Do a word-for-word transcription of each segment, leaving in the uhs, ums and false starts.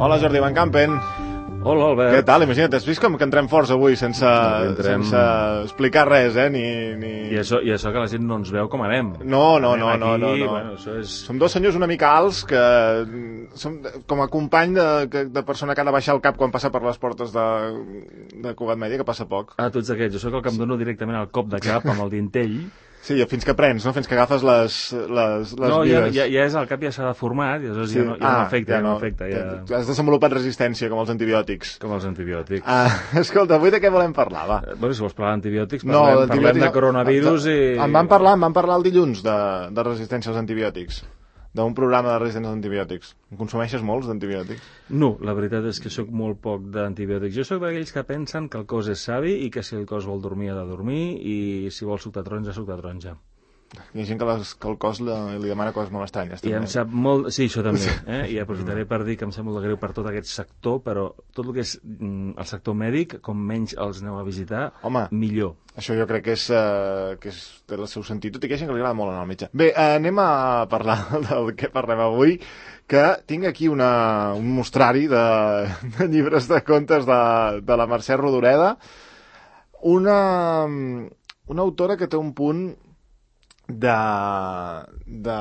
Hola, Jordi Van Campen. Hola, Albert. Què tal? Imagina't, has vist com que entrem forts avui sense, no, entrem... sense explicar res, eh? Ni, ni... I, això, I això que la gent no ens veu com anem. No, no, no, aquí, no, no, no. Bueno, això és... Som dos senyors una mica alts que som com a company de, de persona que ha de baixar el cap quan passa per les portes de, de Cugat Mèdia, que passa poc. Ah, tu ets d'aquests. Jo sóc el que em dono directament al cop de cap amb el dintell. Sí, fins que prens, no? Fins que agafes les, les, les no, ja, vides. ja, ja és el cap, ja s'ha deformat, i aleshores sí. ja no, ja ah, no afecta, ja no, ja no afecta. Ja... Has desenvolupat resistència, com els antibiòtics. Com els antibiòtics. Ah, escolta, avui de què volem parlar, va? Eh, bueno, si vols parlar d'antibiòtics, no, parlem, parlem de coronavirus i... Em van parlar, em van parlar el dilluns de, de resistència als antibiòtics, d'un programa de resistència als antibiòtics. Consumeixes molts d'antibiòtics? No, la veritat és que sóc molt poc d'antibiòtics. Jo sóc d'aquells que pensen que el cos és savi i que si el cos vol dormir ha de dormir i si vol suc de taronja, suc de taronja. Hi ha gent que, les, que el cos li, li demana coses molt estranyes. I em sap molt... Sí, això també. Eh? I aprofitaré per dir que em sap molt de greu per tot aquest sector, però tot el que és mm, el sector mèdic, com menys els aneu a visitar, home, millor. Això jo crec que és, uh, que és té el seu sentit, tot i que hi ha gent que li agrada molt anar al metge. Bé, uh, anem a parlar del que parlem avui, que tinc aquí una, un mostrari de, de llibres de contes de, de la Mercè Rodoreda, una, una autora que té un punt de, de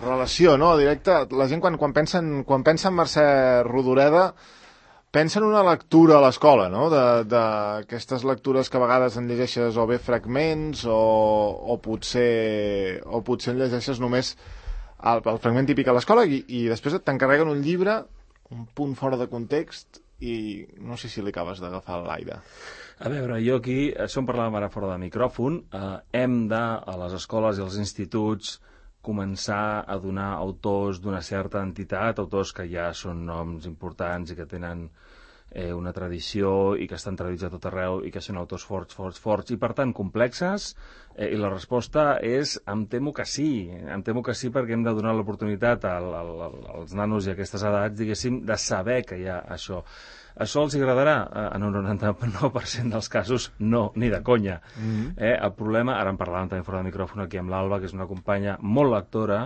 relació, no? Directa. La gent quan, quan, pensen, quan pensa en Mercè Rodoreda pensa en una lectura a l'escola, no? D'aquestes lectures que a vegades en llegeixes o bé fragments o, o, potser, o potser en llegeixes només el, el fragment típic a l'escola i, i després t'encarreguen un llibre, un punt fora de context i no sé si li acabes d'agafar l'aire. A veure, jo aquí, això en parlàvem ara fora de micròfon, eh, hem de, a les escoles i als instituts, començar a donar autors d'una certa entitat, autors que ja són noms importants i que tenen eh, una tradició i que estan traduïts a tot arreu i que són autors forts, forts, forts i per tant complexes, eh, i la resposta és em temo que sí, em temo que sí perquè hem de donar l'oportunitat al, al, als nanos i a aquestes edats, diguéssim, de saber que hi ha això. Això els agradarà? En un noranta-nou per cent dels casos no, ni de conya. Mm-hmm. eh, el problema, ara en parlàvem també fora de micròfon aquí amb l'Alba, que és una companya molt lectora,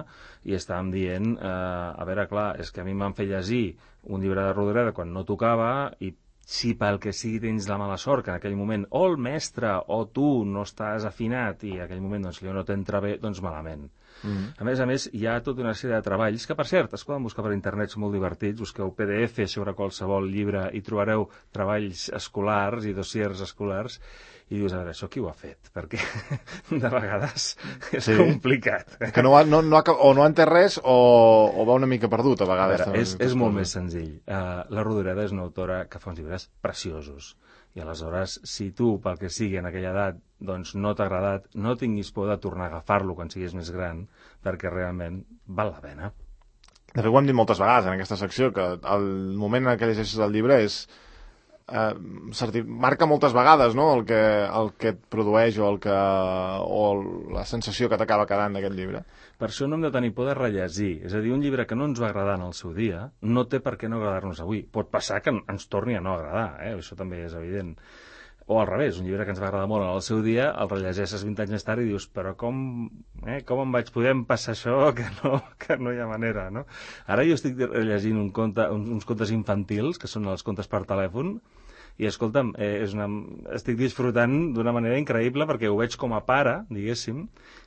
i estàvem dient, eh, a veure, clar, és que a mi m'han fet llegir un llibre de Rodoreda quan no tocava, i si pel que sigui tens la mala sort, que en aquell moment o el mestre o tu no estàs afinat i en aquell moment doncs, no t'entra bé, doncs malament. Mm-hmm. A més a més, hi ha tota una sèrie de treballs que, per cert, es poden buscar per internet, són molt divertits, busqueu P D F sobre qualsevol llibre i trobareu treballs escolars i dossiers escolars i dius, a veure, això qui ho ha fet? Perquè de vegades és sí. complicat. Que no, no, no, o no ha entès res o, o va una mica perdut, a vegades. A veure, és, és molt més senzill. Uh, la Rodoreda és una autora que fa uns llibres preciosos. I aleshores, si tu, pel que sigui, en aquella edat, doncs no t'ha agradat, no tinguis por de tornar a agafar-lo quan siguis més gran, perquè realment val la pena. De fet, ho hem dit moltes vegades en aquesta secció, que el moment en què llegeixes el llibre és... Eh, marca moltes vegades, no?, el que, el que et produeix o, el que, o la sensació que t'acaba quedant d'aquest llibre. Per això no hem de tenir por de rellegir. És a dir, un llibre que no ens va agradar en el seu dia no té per què no agradar-nos avui. Pot passar que ens torni a no agradar, eh? Això també és evident. O al revés, un llibre que ens va agradar molt en el seu dia, el rellegeixes vint anys més tard i dius, però com, eh, com em vaig poder passar això que no, que no hi ha manera, no? Ara jo estic llegint un conte, uns contes infantils, que són els contes per telèfon, i escolta'm, eh, és una... estic disfrutant d'una manera increïble perquè ho veig com a pare, diguéssim,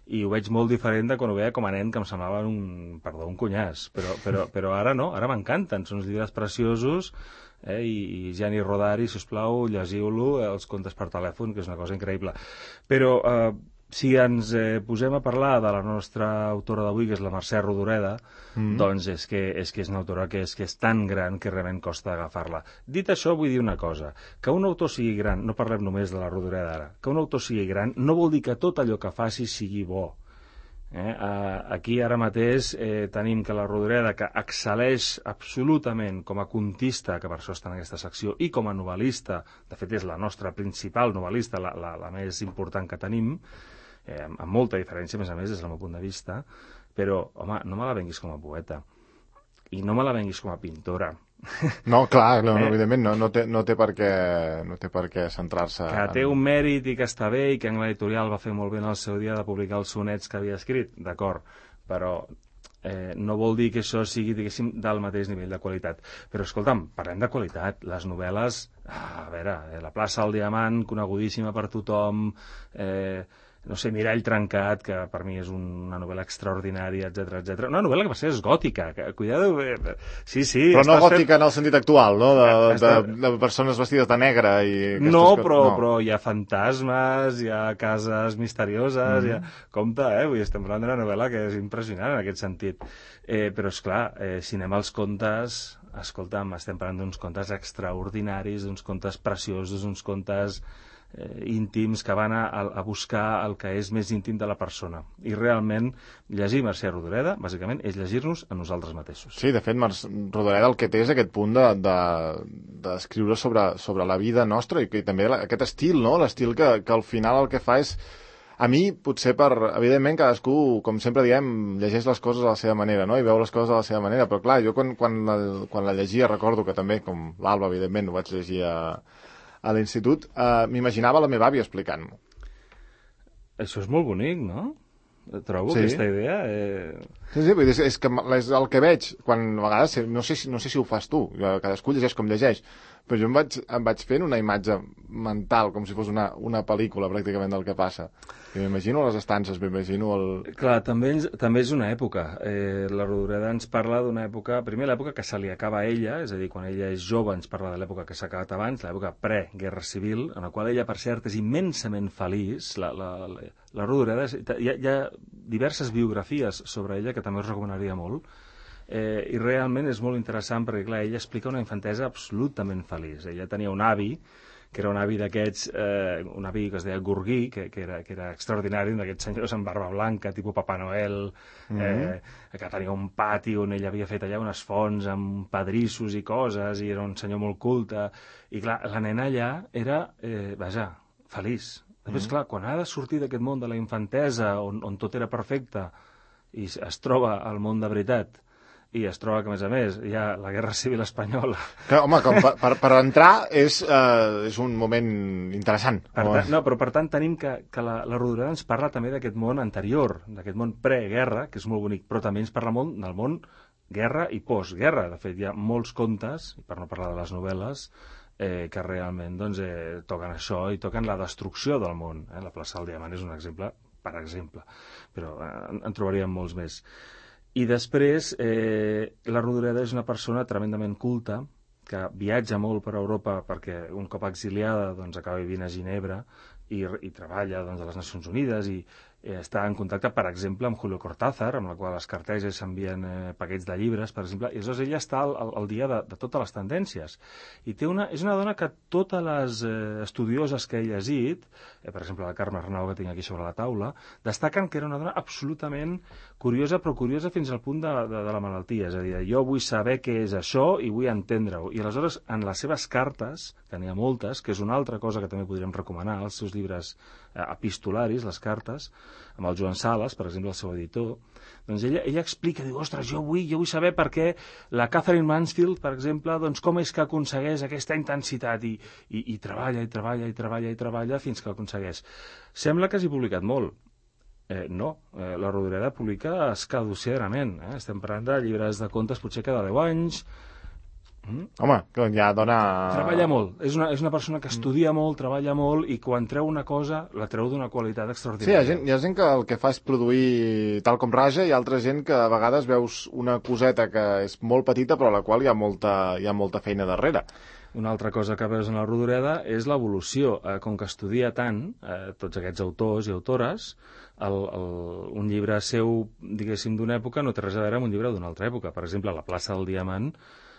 i ho veig molt diferent de quan ho veia com a nen, que em semblava un, perdó, un cunyàs, però, però, però ara no, ara m'encanten, són uns llibres preciosos, eh, i, i Gianni Rodari, si us plau, llegiu-lo, eh, els contes per telèfon, que és una cosa increïble. Però eh, si ens eh, posem a parlar de la nostra autora d'avui, que és la Mercè Rodoreda, mm. doncs és que, és que és una autora que és, que és tan gran que realment costa agafar-la. Dit això, vull dir una cosa, que un autor sigui gran, no parlem només de la Rodoreda ara, que un autor sigui gran no vol dir que tot allò que faci sigui bo. Eh? Aquí ara mateix eh, tenim que la Rodoreda, que excel·leix absolutament com a contista, que per això està en aquesta secció, i com a novel·lista, de fet és la nostra principal novel·lista, la, la, la més important que tenim, eh, amb molta diferència, a més a més, des del meu punt de vista, però, home, no me la venguis com a poeta, i no me la venguis com a pintora. No, clar, no, eh? evidentment, no, no, té, no, té per què, no té per què centrar-se... Que té un mèrit i que està bé i que en l'editorial va fer molt bé en el seu dia de publicar els sonets que havia escrit, d'acord, però eh, no vol dir que això sigui, diguéssim, del mateix nivell de qualitat. Però, escolta'm, parlem de qualitat. Les novel·les, ah, a veure, eh, La plaça del Diamant, conegudíssima per tothom, eh, no sé, Mirall trencat, que per mi és un, una novel·la extraordinària, etcètera, etcètera. Una novel·la que va ser és gòtica, que, cuidado, eh, sí, sí... Però no gòtica fent... en el sentit actual, no? De, Està... de, de persones vestides de negre i... No, co... però, no, però hi ha fantasmes, hi ha cases misterioses, mm. hi ha... Compte, eh? Vull dir, estem parlant d'una novel·la que és impressionant en aquest sentit. Eh, però, esclar, eh, si anem als contes... Escolta'm, estem parlant d'uns contes extraordinaris, d'uns contes preciosos, d'uns contes... Eh, íntims que van a, a buscar el que és més íntim de la persona. I realment, llegir Mercè Rodoreda, bàsicament, és llegir-nos a nosaltres mateixos. Sí, de fet, Mercè Rodoreda el que té és aquest punt d'escriure de, de, sobre, sobre la vida nostra i, i també aquest estil, no? L'estil que, que al final el que fa és... A mi, potser per... Evidentment, cadascú, com sempre diem, llegeix les coses a la seva manera, no? I veu les coses a la seva manera. Però, clar, jo quan, quan, la, quan la llegia recordo que també, com l'Alba, evidentment, ho vaig llegir a... a l'institut, eh, m'imaginava la meva àvia explicant-m'ho. Això és molt bonic, no? Trobo sí. aquesta idea... Eh... Sí, sí, vull dir, és, que és el que veig, quan a vegades, no sé, no sé si ho fas tu, cadascú llegeix com llegeix, però jo em vaig, em vaig fent una imatge mental, com si fos una, una pel·lícula pràcticament del que passa. I m'imagino les estances, m'imagino el... Clar, també, també és una època. Eh, la Rodoreda ens parla d'una època... Primer, l'època que se li acaba a ella, és a dir, quan ella és jove ens parla de l'època que s'ha acabat abans, l'època pre-guerra civil, en la qual ella, per cert, és immensament feliç. La, la, la, la Rodoreda... És, hi, ha, hi ha diverses biografies sobre ella que també us recomanaria molt, eh, i realment és molt interessant perquè, clar, ella explica una infantesa absolutament feliç. Ella tenia un avi que era un avi d'aquests, eh, un avi que es deia Gurguí, que, que, era, que era extraordinari, un d'aquests senyors amb barba blanca, tipus Papa Noel, mm-hmm. eh, que tenia un pati on ell havia fet allà unes fonts amb pedrissos i coses, i era un senyor molt culte, i clar, la nena allà era, eh, vaja, feliç. Després, mm-hmm. clar, quan ha de sortir d'aquest món de la infantesa, on, on tot era perfecte, i es troba al món de veritat, i es troba que, a més a més, hi ha la Guerra Civil Espanyola. Que, home, com per, per, per entrar és, eh, és un moment interessant. Per tant, no, però per tant tenim que, que la, la Rodoreda ens parla també d'aquest món anterior, d'aquest món pre-guerra, que és molt bonic, però també ens parla molt del món guerra i postguerra. De fet, hi ha molts contes, per no parlar de les novel·les, eh, que realment doncs, eh, toquen això i toquen la destrucció del món. Eh? La plaça del Diamant és un exemple, per exemple, però eh, en, en trobaríem molts més. I després, eh, la Rodoreda és una persona tremendament culta, que viatja molt per Europa perquè un cop exiliada doncs, acaba vivint a Ginebra i, i treballa doncs, a les Nacions Unides i eh, està en contacte, per exemple, amb Julio Cortázar, amb la qual les carteges s'envien eh, paquets de llibres, per exemple, i aleshores ella està al, al, al dia de, de totes les tendències. I té una, és una dona que totes les eh, estudioses que he llegit, eh, per exemple, la Carme Arnau, que tinc aquí sobre la taula, destaquen que era una dona absolutament curiosa, però curiosa fins al punt de, de, de la malaltia. És a dir, jo vull saber què és això i vull entendre-ho. I aleshores, en les seves cartes, que n'hi ha moltes, que és una altra cosa que també podríem recomanar, els seus llibres eh, epistolaris, les cartes, amb el Joan Sales, per exemple, el seu editor, doncs ella, ella explica, diu, ostres, jo vull, jo vull saber per què la Catherine Mansfield, per exemple, doncs com és que aconsegueix aquesta intensitat i, i, i treballa, i treballa, i treballa, i treballa fins que aconsegueix. Sembla que hagi publicat molt. Eh, no, eh, la Rodoreda publica escaducerament. Eh? Estem parlant de llibres de contes potser cada deu anys. Mm? Home, que ja dona... Treballa molt. És una, és una persona que estudia molt, treballa molt, i quan treu una cosa, la treu d'una qualitat extraordinària. Sí, hi ha, gent, hi ha gent que el que fa és produir tal com raja, i altra gent que a vegades veus una coseta que és molt petita, però a la qual hi ha molta, hi ha molta feina darrere. Una altra cosa que veus en la Rodoreda és l'evolució. Eh, com que estudia tant, eh, tots aquests autors i autores, el, el, un llibre seu, diguéssim, d'una època no té res a veure amb un llibre d'una altra època. Per exemple, La plaça del Diamant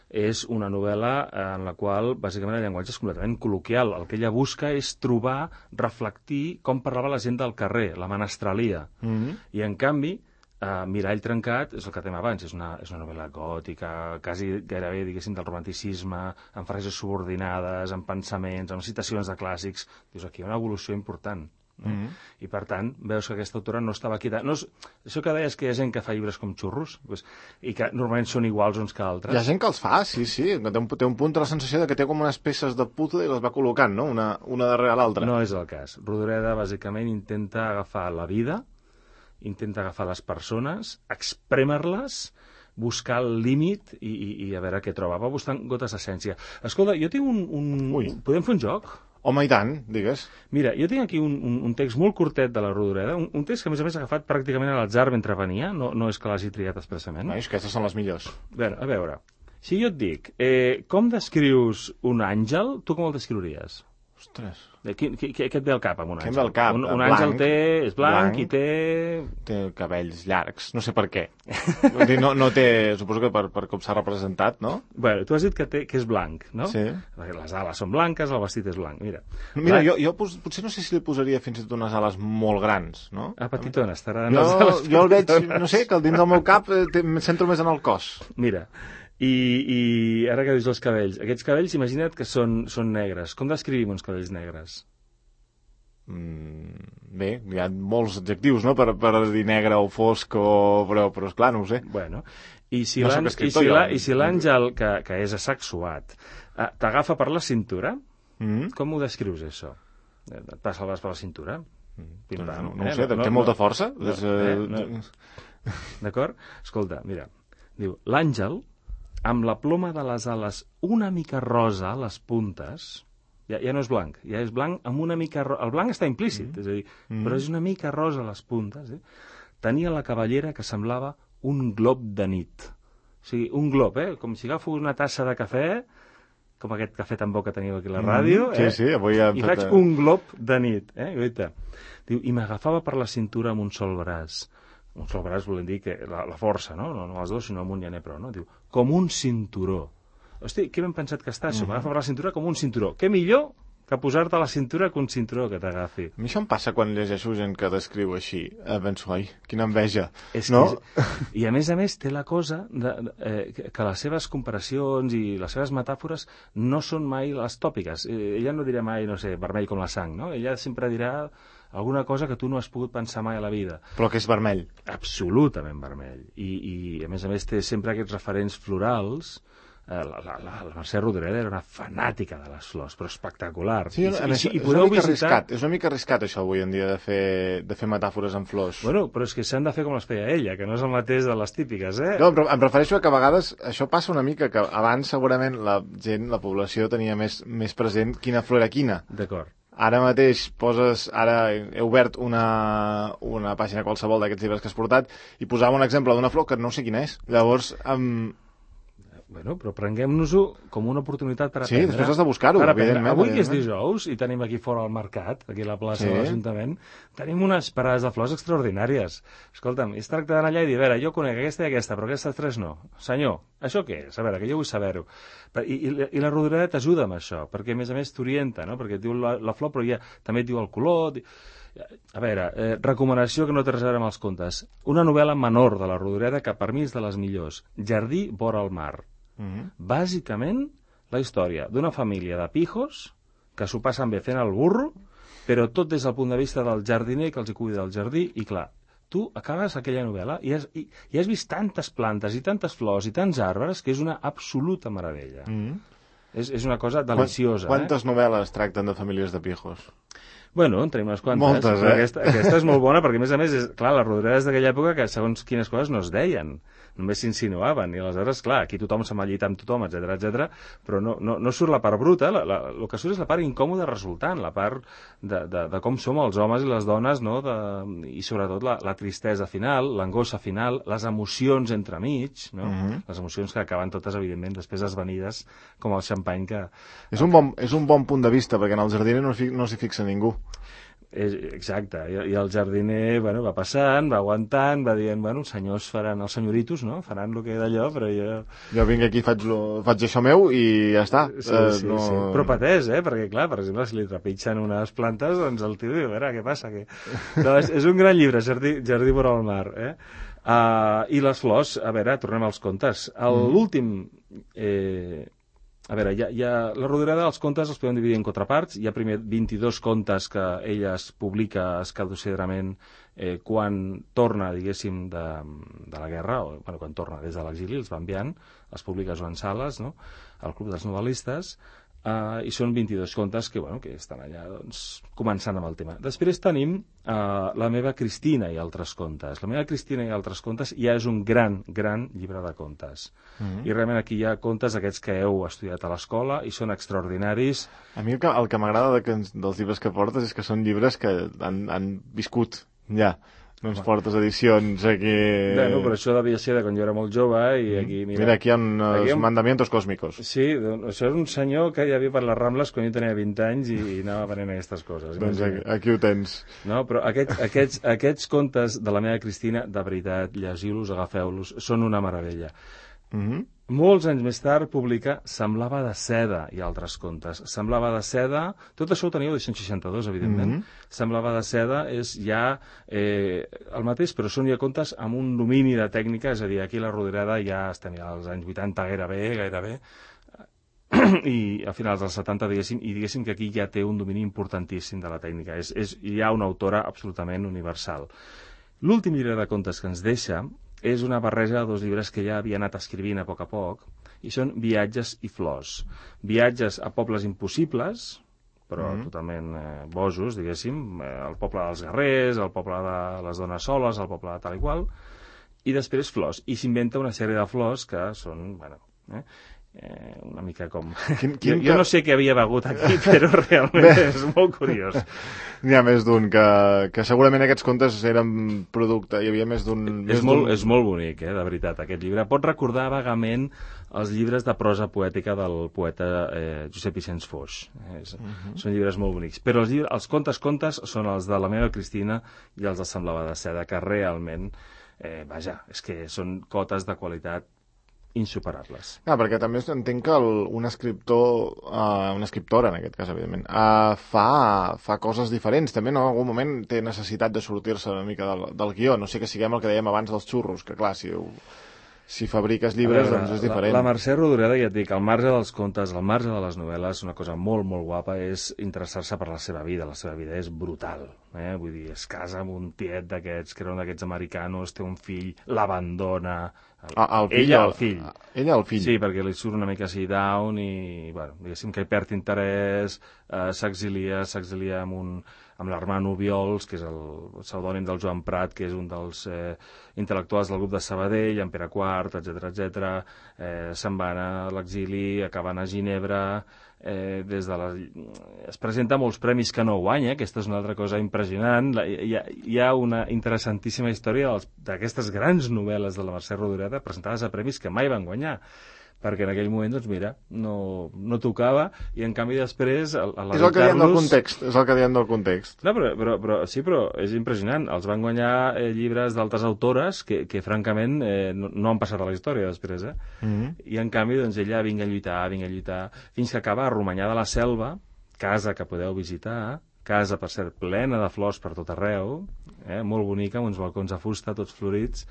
és una novel·la en la qual, bàsicament, el llenguatge és completament col·loquial. El que ella busca és trobar, reflectir com parlava la gent del carrer, la menestralia. Mm-hmm. I, en canvi, Uh, Mirall trencat és el que tem abans, és una, és una novel·la gòtica, quasi gairebé, diguéssim, del romanticisme, amb frases subordinades, amb pensaments, amb citacions de clàssics. Dius, aquí hi ha una evolució important. No? Mm-hmm. I, per tant, veus que aquesta autora no estava quieta. No és, això que deies que hi ha gent que fa llibres com xurros, pues, i que normalment són iguals uns que altres. Hi ha gent que els fa, sí, sí. Té un, té un punt de la sensació de que té com unes peces de puzzle i les va col·locant, no? Una, una darrere l'altra. No és el cas. Rodoreda, bàsicament, intenta agafar la vida intenta agafar les persones, exprémer-les, buscar el límit i, i, i a veure què troba. Va buscant gotes d'essència. Escolta, jo tinc un... un... Podem fer un joc? Home, i tant, digues. Mira, jo tinc aquí un, un, un text molt curtet de la Rodoreda, un, un text que a més a més ha agafat pràcticament a l'atzar mentre venia, no, no és que l'hagi triat expressament. Ai, aquestes són les millors. Bé, a veure, si jo et dic, eh, com descrius un àngel, tu com el descriuries? Ostres. Què, què, què et ve al cap amb un àngel? Què em ve al cap? Un, un Blanc, àngel té, és blanc, blanc i té... Té cabells llargs, no sé per què. Vull dir, no, no té, suposo que per, per com s'ha representat, no? Bueno, tu has dit que, té, que és blanc, no? Sí. Perquè les ales són blanques, el vestit és blanc, mira. Mira, Blanc... jo, jo pos, potser no sé si li posaria fins i tot unes ales molt grans, no? Ah, petitones, t'agraden jo, les ales jo el veig, no sé, que dins del meu cap eh, em centro més en el cos. Mira, i, i ara que dius els cabells, aquests cabells imagina't que són, són negres. Com descrivim uns cabells negres? Mm, bé, hi ha molts adjectius, no?, per, per dir negre o fosc, o... però, però esclar, no ho sé. Bueno, i si no si l'àngel, que, que és asexuat, eh, t'agafa per la cintura, mm-hmm. com ho descrius, això? Et passa el braç per la cintura? Pim, no, no, no ho sé, eh? té no, molta força. No, és, eh, no. D'acord? Escolta, mira, diu, l'àngel, amb la ploma de les ales una mica rosa a les puntes, ja, ja no és blanc, ja és blanc amb una mica rosa. El blanc està implícit, mm. és a dir, mm. però és una mica rosa a les puntes. Eh? Tenia la cabellera que semblava un glob de nit. O sigui, un glob, eh? Com si agafo una tassa de cafè, com aquest cafè tan bo que teniu aquí a la ràdio, mm. sí, eh? sí, avui ja i faig un glob de nit. Eh? Diu, i m'agafava per la cintura amb un sol braç. Un sol braç volem dir que la, la força, no? No, no els dos, sinó amunt ja n'he prou, no? Diu, com un cinturó. Hosti, què ben pensat que està, això? Mm -hmm. M'agafa per la cintura com un cinturó. Què millor que posar-te a la cintura que un cinturó que t'agafi? A mi això em passa quan llegeixo gent que descriu així. Eh, penso, ai, quina enveja. És no? Que és... I a més a més té la cosa de, de, eh, que les seves comparacions i les seves metàfores no són mai les tòpiques. Eh, ella no dirà mai, no sé, vermell com la sang, no? Ella sempre dirà alguna cosa que tu no has pogut pensar mai a la vida. Però que és vermell. Absolutament vermell. I, i a més a més té sempre aquests referents florals. La, la, la, la Mercè Rodoreda era una fanàtica de les flors, però espectacular. Sí, I, i, i, i és, una mica visitar... arriscat, és una mica arriscat això avui en dia de fer, de fer metàfores amb flors. Bueno, però és que s'han de fer com les feia ella, que no és el mateix de les típiques, eh? No, però em refereixo a que a vegades això passa una mica, que abans segurament la gent, la població tenia més, més present quina flor era quina. D'acord. Ara mateix poses, ara he obert una, una pàgina qualsevol d'aquests llibres que has portat i posava un exemple d'una flor que no sé quina és. Llavors, amb... Bueno, però prenguem-nos-ho com una oportunitat per aprendre. Sí, després has de buscar-ho, evidentment. Avui que és dijous i tenim aquí fora al mercat, aquí a la plaça sí. de l'Ajuntament, tenim unes parades de flors extraordinàries. Escolta'm, es tracta d'anar allà i dir, a veure, jo conec aquesta i aquesta, però aquestes tres no. Senyor, això què és? A veure, que jo vull saber-ho. I, i, I la Rodoreda t'ajuda amb això, perquè a més a més t'orienta, no? Perquè et diu la, la flor, però ja també et diu el color... A veure, eh, recomanació que no té res a veure amb els contes. Una novel·la menor de la Rodoreda que per mi és de les millors. Jardí vora el mar. Mm-hmm. Bàsicament, la història d'una família de pijos que s'ho passen bé fent el burro, però tot des del punt de vista del jardiner que els hi cuida del jardí, i clar, tu acabes aquella novel·la i has, i, i has vist tantes plantes i tantes flors i tants arbres que és una absoluta meravella. Mm-hmm. és, és una cosa deliciosa. Quantes eh? novel·les tracten de famílies de pijos? Bueno, en tenim unes quantes. Moltes, eh? Aquesta, aquesta és molt bona perquè, a més a més, és, clar, la Rodoreda és d'aquella època que segons quines coses no es deien, només s'insinuaven, i aleshores, clar, aquí tothom se'n va llitar amb tothom, etcètera, etcètera, però no, no, no surt la part bruta, la, la, el que surt és la part incòmoda resultant, la part de, de, de com som els homes i les dones, no? De, i sobretot la, la tristesa final, l'angoixa final, les emocions entremig, no? Mm-hmm. Les emocions que acaben totes, evidentment, després esvanides com el xampany que... És un bon, és un bon punt de vista, perquè en el jardiner no, no s'hi fixa ningú. És, exacte, I, i el jardiner bueno, va passant, va aguantant, va dient, bueno, els senyors faran, els senyoritos, no? Faran el que d'allò, però jo... Jo vinc aquí, faig, lo, faig això meu i ja està. Sí, uh, sí, no... sí. Però patès, eh? Perquè, clar, per exemple, si li trepitgen unes plantes, doncs el tio diu, a veure, què passa? Que... No, és, és un gran llibre, Jardí, Jardí vora el mar, eh? Uh, I les flors, a veure, tornem als contes. L'últim... Eh, A veure, hi ha, hi ha, la Rodoreda dels contes els podem dividir en contraparts. Hi ha primer vint-i-dos contes que ella es publica escaducerament eh, quan torna, diguéssim, de, de la guerra, o bueno, quan torna des de l'exili, els va enviant, els publica Joan Sales, no?, al Club dels Novel·listes. Uh, i són vint-i-dos contes que, bueno, que estan allà doncs, començant amb el tema. Després tenim uh, La meva Cristina i altres contes. La meva Cristina i altres contes ja és un gran, gran llibre de contes. Mm-hmm. I realment aquí hi ha contes aquests que heu estudiat a l'escola i són extraordinaris. A mi el que, el que m'agrada de que, dels llibres que portes és que són llibres que han, han viscut ja. No ens portes edicions aquí... Bueno, però això devia ser de quan jo era molt jove i aquí... Mira, mira aquí hi ha uns aquí ha... mandamientos còsmicos. Sí, això és un senyor que hi havia per les Rambles quan jo tenia vint anys i, i anava aprenent aquestes coses. Doncs aquí, aquí ho tens. No, però aquest, aquests, aquests contes de la meva Cristina, de veritat, llegiu-los, agafeu-los, són una meravella. Mm-hmm. Molts anys més tard publica Semblava de seda i altres contes. Semblava de seda, tot això ho teniu a l'edició seixanta-dos, evidentment. Mm-hmm. Semblava de seda és ja eh, el mateix, però són ja contes amb un domini de tècnica, és a dir, aquí la Rodoreda ja estem ja als anys vuitanta gairebé, gairebé, i a finals dels setanta, diguéssim, i diguéssim que aquí ja té un domini importantíssim de la tècnica. És, és ja una autora absolutament universal. L'últim llibre de contes que ens deixa és una barreja de dos llibres que ja havia anat escrivint a poc a poc, i són Viatges i flors. Viatges a pobles impossibles, però mm-hmm. totalment eh, bojos, diguéssim, eh, el poble dels guerrers, el poble de les dones soles, el poble de tal i qual, i després flors. I s'inventa una sèrie de flors que són, bueno... Eh, Eh, una mica com... Quin, quin, jo, jo no sé què havia begut aquí, però realment Bé. és molt curiós. N'hi ha més d'un, que, que segurament aquests contes eren producte, hi havia més d'un... És, molt, és molt bonic, eh, de veritat, aquest llibre. Pot recordar vagament els llibres de prosa poètica del poeta eh, Josep Vicenç Foix. Eh, és, uh-huh. Són llibres molt bonics. Però els, llibres, els contes contes són els de La meva Cristina i els de Semblava de seda, que realment, eh, vaja, és que són cotes de qualitat insuperables. Ah, perquè també entenc que el, un escriptor, uh, una escriptora en aquest cas, evidentment, uh, fa, fa coses diferents. També en algun moment té necessitat de sortir-se una mica del, del guió. No sé que siguem el que dèiem abans dels xurros, que clar, si, si fabriques llibres, veure, doncs és diferent. La, la Mercè Rodoreda, ja et dic, al marge dels contes, al marge de les novel·les, una cosa molt, molt guapa és interessar-se per la seva vida. La seva vida és brutal. Eh? Vull dir, es casa amb un tiet d'aquests, que era un d'aquests americanos, té un fill, l'abandona... El, ah, el fill, ella el fill. Ella el fill. Sí, perquè li surt una mica així down i, bueno, diguéssim que hi perd interès, eh, s'exilia, s'exilia amb, un, amb l'Armand Obiols, que és el pseudònim del Joan Prat, que és un dels eh, intel·lectuals del grup de Sabadell, en Pere quart, etcètera, etcètera. Eh, se'n van a l'exili, acaben a Ginebra, eh, des de la... es presenta molts premis que no guanya, aquesta és una altra cosa impressionant. La, hi, ha, hi ha una interessantíssima història d'aquestes grans novel·les de la Mercè Rodoreda presentades a premis que mai van guanyar, perquè en aquell moment, doncs mira, no, no tocava, i en canvi després... A, a és el que diem del context, és el que diem del context. No, però, però, però, sí, però és impressionant. Els van guanyar eh, llibres d'altres autores que, que francament, eh, no, no han passat a la història després, eh? Mm-hmm. I en canvi, doncs, ella vinga a lluitar, vinga a lluitar, fins que acaba a Romanyà de la Selva, casa que podeu visitar, casa, per cert, plena de flors per tot arreu, eh, molt bonica, amb uns balcons de fusta, tots florits.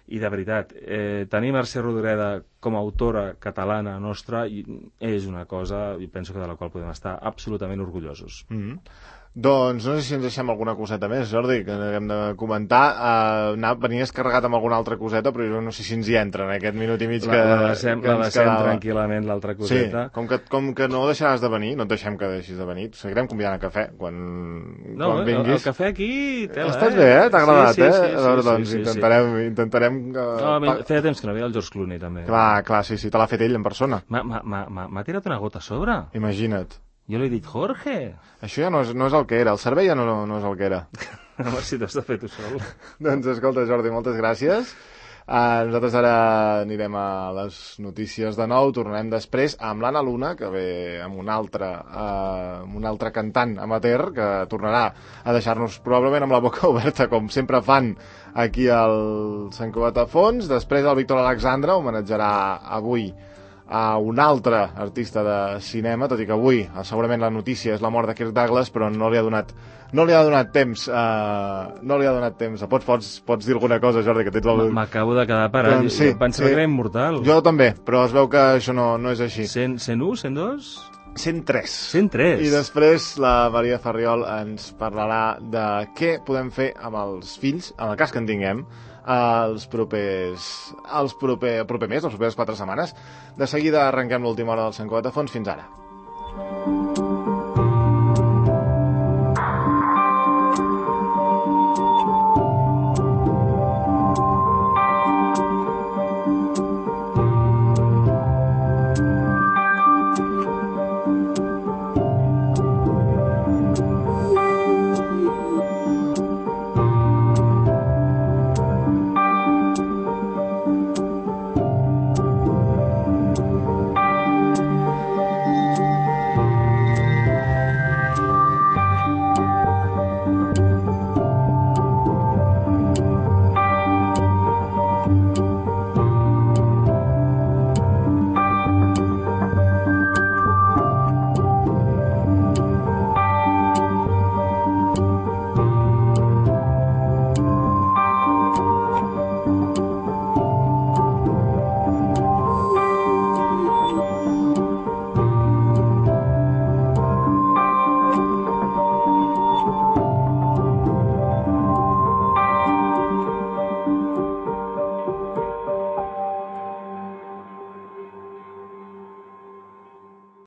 I de veritat, eh, tenir Mercè Rodoreda com a autora catalana nostra és una cosa, i penso que de la qual podem estar absolutament orgullosos. Mm-hmm. Doncs no sé si ens deixem alguna coseta més, Jordi, que hem de comentar. Uh, anar, venies carregat amb alguna altra coseta, però jo no sé si ens hi entra en aquest minut i mig que, la, la deixem, que la ens deixem quedava. Tranquil·lament, l'altra coseta. Sí, com que, com que no deixaràs de venir, no et deixem que deixis de venir, seguirem convidant a cafè quan, no, quan vinguis. No, el cafè aquí... Tela, Estàs eh? bé, eh? T'ha agradat, sí, sí, eh? Sí, sí, veure, sí, doncs sí, intentarem... sí. intentarem uh, no, feia temps que no veia el George Clooney, també. Clar, clar, sí, sí, te l'ha fet ell en persona. M'ha tirat una gota a sobre. Imagina't. Jo li he dit, Jorge. Això ja no és, no és el que era, el servei ja no, no és el que era. Home, si t'has de fer tu sol. Doncs escolta, Jordi, moltes gràcies. Uh, nosaltres ara anirem a les notícies de nou, tornarem després amb l'Anna Luna, que ve amb un altre, uh, amb un altre cantant amateur, que tornarà a deixar-nos probablement amb la boca oberta, com sempre fan aquí al Sant Cugat a Fons. Després el Víctor Alexandre homenatjarà avui a un altre artista de cinema, tot i que avui segurament la notícia és la mort de Kirk Douglas, però no li ha donat no li ha donat temps uh, no li ha donat temps. Pots, pots, pots dir alguna cosa, Jordi, que tens el... M'acabo de quedar parat, doncs, sí, jo pensava sí. que era immortal. Jo també, però es veu que això no, no és així. cent, cent u, cent dos? cent tres. cent tres. I després la Maria Farriol ens parlarà de què podem fer amb els fills, en el cas que en tinguem, els propers, els proper, el proper mes, les properes quatre setmanes. De seguida arrenquem l'última hora del Sant Cugat a Fons. Fins ara. gràcies.